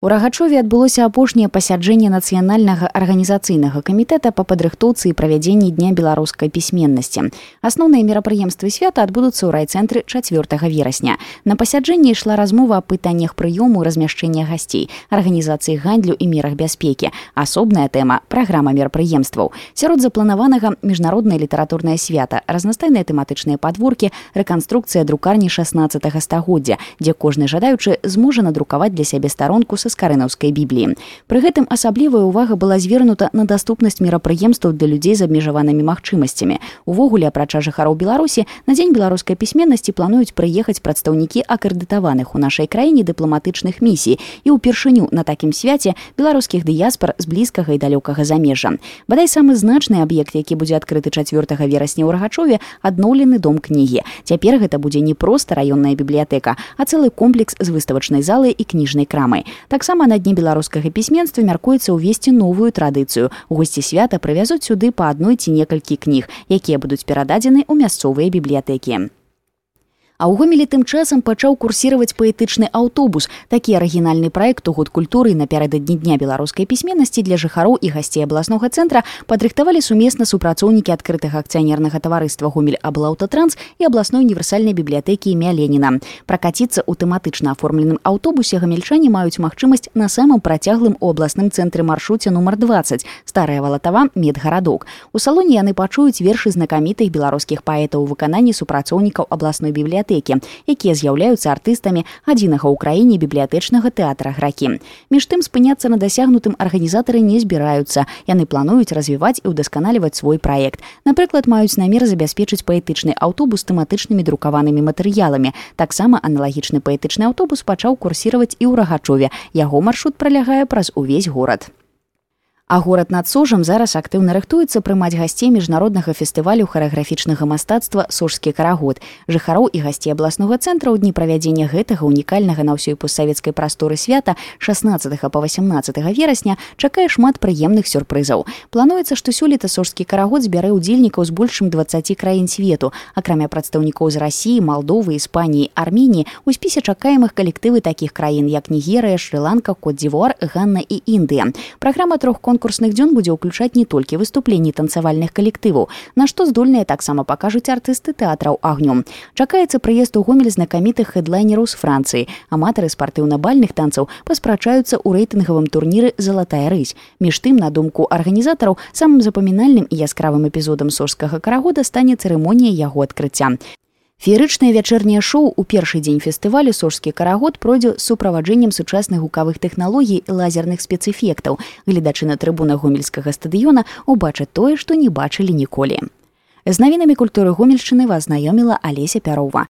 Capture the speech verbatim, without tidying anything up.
У Рагачове адбылося апошняе пасяджэнне нацыянальнага арганізацыйнага камітэта па падрыхтоўцы і правядзенні дня беларускай пісьменнасці. Асноўныя мерапрыемствы свята адбудуцца ў райцэнтры чацвёртага верасня. На пасяджэнні ішла размова аб пытаннях прыёму і размяшчэння гасцей, арганізацыі гандлю і мерах бяспекі. Асобная тэма – праграма мерапрыемстваў. Сярод запланаванага міжнароднае літаратурнае свята, разнастайныя тэматычныя падворкі, рэканструкцыя друкарні шаснаццатага стагоддзя, дзе кожны жадаючы зможа надрукаваць для сябе старонку са скарынаўскай бібліі. Пры гэтым асаблівая ўвага была звернута на даступнасць мерапрыемстваў для людзей з абмежаванымі магчымасцямі. Увогуле, апрача жыхароў Беларусі, на дзень беларускай пісьменнасці плануюць прыехаць прадстаўнікі акрэдытаваных у нашай краіне дыпламатычных місій і ўпершыню на такім свяце беларускіх дыяспар з блізкага і далёкага замежжа. Бадай самы значны аб'ект, які будзе адкрыты чацвёртага верасня ў Рагачове, адноўлены дом кнігі. Цяпер гэта будзе не проста раённая бібліятэка, а цэлы комплекс з выставачнай залай і кніжнай крамай. Таксама на дні беларускага пісьменства мяркуецца ўвесці новую традыцыю. Госці свята прывязуць сюды па адной ці некалькі кніг, якія будуць перададзены ў мясцовыя бібліятэкі. А ў Гомелі тым часам пачаў курсіраваць паэтычны аўтобус. Такі арыгінальны праект у год культуры напярэдадні дня беларускай пісьменнасці для жыхароў і гасцей абласнога цэнтра падрыхтавалі сумесна супрацоўнікі адкрытага акцыянернага таварыства Гомель-Аблаўтатранс і абласной універсальнай бібліятэкі імя Леніна. Пракаціцца ў тэматычна аформленым аўтобусе гамельчане маюць магчымасць на самым працяглым у абласным цэнтры маршруце нумар дваццаць Старая Валатава медгарадок. У салоне яны пачуюць вершы знакамітых беларускіх паэтаў у выкананні супрацоўнікаў абласной бібліятэкі, якія з'яўляюцца артыстамі адзінага ў краіне бібліятэчнага тэатра «Гракі». Між тым, спыняцца на дасягнутым арганізатары не збіраюцца. Яны плануюць развіваць і ўдасканаліваць свой праект. Напрыклад, маюць намер забяспечыць паэтычны аўтобус тэматычнымі друкаванымі матэрыяламі. Таксама аналагічны паэтычны аўтобус пачаў курсіраваць і ў Рагачове. Яго маршрут пралягае праз увесь горад. А горад над Сожам зараз актыўна рыхтуецца прымаць гасцей міжнароднага фестывалю харэаграфічнага мастацтва «Сожскі карагод». Жыхароў і гасцей абласнога цэнтра ў дні правядзення гэтага унікальнага на ўсёй постсавецкай прасторы свята шаснаццатага па васямнаццатага верасня чакае шмат прыемных сюрпрызаў. Плануецца, што сёлета «Сожскі карагод» збярэ ўдзельнікаў з больш чым дваццаці краін свету. Акрамя прадстаўнікоў з Расіі, Малдовы, Іспаніі, Арменіі, у спісе чакаемых калектывы такіх краін, як Нігерыя, Шры-Ланка, Кот-д'Івуар, Ганна і Індыя. Праграма трох конкурсных дзён будзе ўключаць не толькі выступленні танцавальных калектываў, на што здольныя таксама пакажуць артысты тэатраў агню. Чакаецца прыезд у Гомель знакамітых хэдлайнераў з Францыі. Аматары спартыўна-бальных танцаў паспрачаюцца ў рэйтынгавым турніры «Залатая рысь». Між тым, на думку арганізатараў, самым запамінальным і яскравым эпізодам «Сожскага карагода» стане цырымонія яго адкрыцця. Феерычнае вячэрняе шоу у першы дзень фестывалю «Сожскі карагод» пройдзе з суправаджэннем сучасных гукавых тэхналогій і лазерных спецэфектаў. Гледачы на трыбунах гомельскага стадыёна убачаць тое, што не бачылі ніколі. З навінамі культуры Гомельшчыны вас знаёміла Алеся Пярова.